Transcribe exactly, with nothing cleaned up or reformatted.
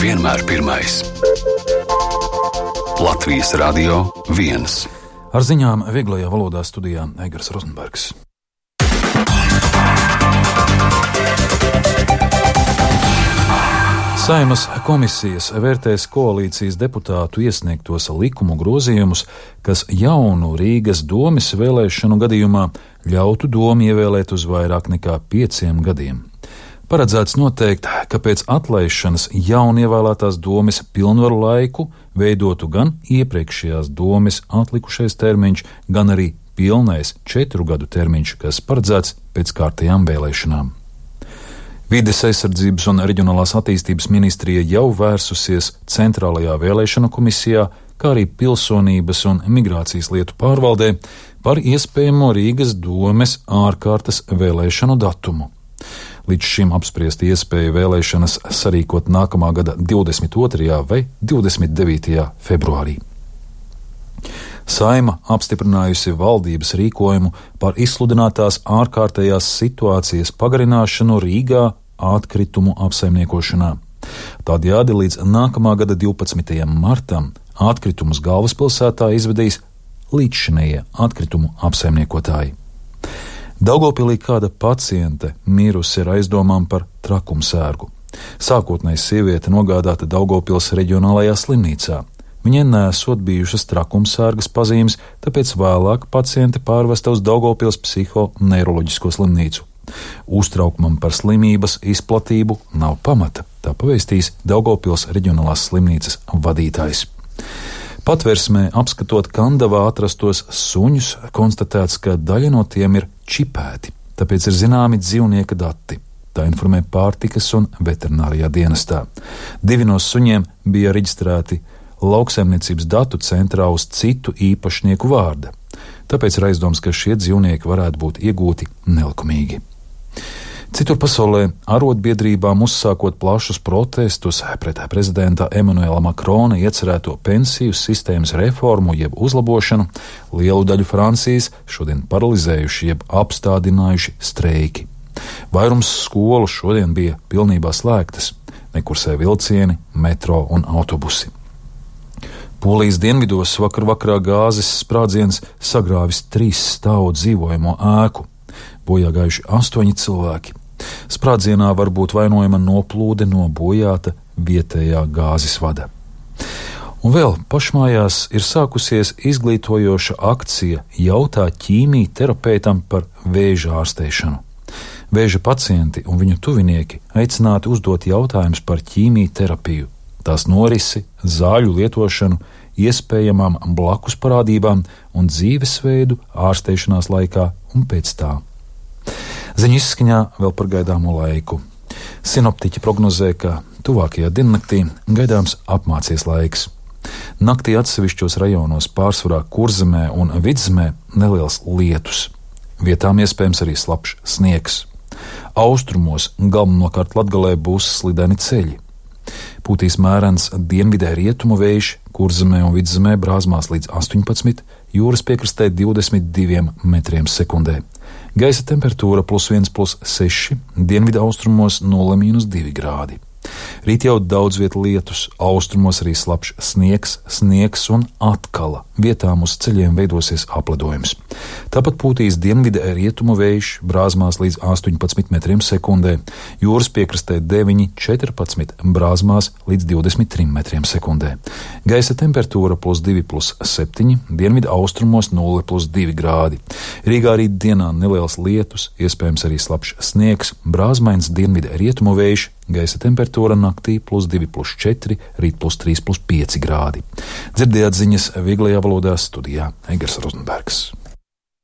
vienmēr pirmais. Latvijas Radio viens. Ar ziņām vieglajā valodā studijā Eigars Rozenbergs. Saeimas komisijas vērtēs koalīcijas deputātu iesniegtos likumu grozījumus, kas jaunu Rīgas domes vēlēšanu gadījumā ļautu domu ievēlēt uz vairāk nekā pieciem gadiem. Paredzēts noteikt, ka pēc atlaišanas jaunievēlētās domes pilnvaru laiku veidotu gan iepriekšējās domes atlikušais termiņš, gan arī pilnais četru gadu termiņš, kas paredzēts pēc kārtējām vēlēšanām. Vides aizsardzības un reģionālās attīstības ministrija jau vērsusies Centrālajā vēlēšanu komisijā, kā arī Pilsonības un migrācijas lietu pārvaldē par iespējamo Rīgas domes ārkārtas vēlēšanu datumu. Līdz šim apspriest iespēju vēlēšanas sarīkot nākamā gada divdesmit otrajā vai divdesmit devītajā februārī. Saeima apstiprinājusi valdības rīkojumu par izsludinātās ārkārtējās situācijas pagarināšanu Rīgā atkritumu apsaimniekošanā. Tādējādi līdz nākamā gada divpadsmitajam martam atkritumus galvaspilsētā izvedīs līdzšinējie atkritumu apsaimniekotāji. Daugavpilī kāda paciente mirusi ar aizdomām par trakumsērgu. Sākotnēji sieviete nogādāta Daugavpils reģionālajā slimnīcā. Viņai nesot bijušas trakumsērgas pazīmes, tāpēc vēlāk paciente pārvesta uz Daugavpils psihoneiroloģisko slimnīcu. Uztraukumam par slimības izplatību nav pamata, tā pavēstīs Daugavpils reģionālās slimnīcas vadītājs. Patversmē apskatot Kandavā atrastos suņus, konstatēts, ka daļa no tiem ir čipēti, tāpēc ir zināmi dzīvnieka dati. Tā informē pārtikas un veterinārijā dienestā. Divi no suņiem bija reģistrēti lauksaimniecības datu centrā uz citu īpašnieku vārda. Tāpēc ir aizdoms, ka šie dzīvnieki varētu būt iegūti nelikumīgi. Citur pasaulē arotbiedrībām uzsākot plašus protestus pret prezidenta Emanuela Makrona iecerēto pensiju sistēmas reformu jeb uzlabošanu, lielu daļu Francijas šodien paralizējuši jeb apstādinājuši streiki. Vairums skolu šodien bija pilnībā slēgtas, nekursē vilcieni, metro un autobusi. Polijas dienvidos vakar vakarā gāzes sprādziens sagrāvis trīs stāvu dzīvojamo ēku. Bojā gājuši astoņi cilvēki. Sprādzienā var būt vainojama noplūde no bojāta vietējā gāzes vada. Un vēl pašmājās ir sākusies izglītojoša akcija Jautā ķīmijterapeitam par vēža ārstēšanu. Vēža pacienti un viņu tuvinieki aicināti uzdot jautājumus par ķīmijterapiju, tās norisi, zāļu lietošanu, iespējamām blakus parādībām un dzīvesveidu ārstēšanās laikā un pēc tā. Ziņu izskaņā vēl par gaidāmo laiku. Sinoptiķi prognozē, ka tuvākajā diennaktī gaidāms apmācies laiks. Naktī atsevišķos rajonos pārsvarā Kurzemē un Vidzemē neliels lietus. Vietām iespējams arī slapjš sniegs. Austrumos galvenokārt Latgalē būs slideni ceļi. Pūtīs mērens dienvidē rietumu vējš, Kurzemē un Vidzemē brāzmās līdz astoņpadsmit, jūras piekrastē divdesmit diviem metriem sekundē. Gaisa temperatūra plus viens plus seši, dienvidu austrumos nulle mīnus divi grādi. Rīt jau daudz viet lietus, austrumos arī slapjš sniegs, sniegs un atkala. Vietām uz ceļiem veidosies apledojums. Tāpat pūtīs dienvidē rietumu vējš, brāzmās līdz astoņpadsmit metriem sekundē, jūras piekrastē deviņi, četrpadsmit, brāzmās līdz divdesmit trim metriem sekundē. Gaisa temperatūra plus divi plus septiņi, dienvidu austrumos nulle plus divi grādi. Rīgā rīt dienā neliels lietus, iespējams arī slapjš sniegs, brāzmains dienvidē rietumu vējš, gaisa temperatūra naktī plus divi plus četri, rīt plus trīs plus pieci grādi. Dzirdējāt ziņas vieglajā valodā studijā Eigars Rozenbergs.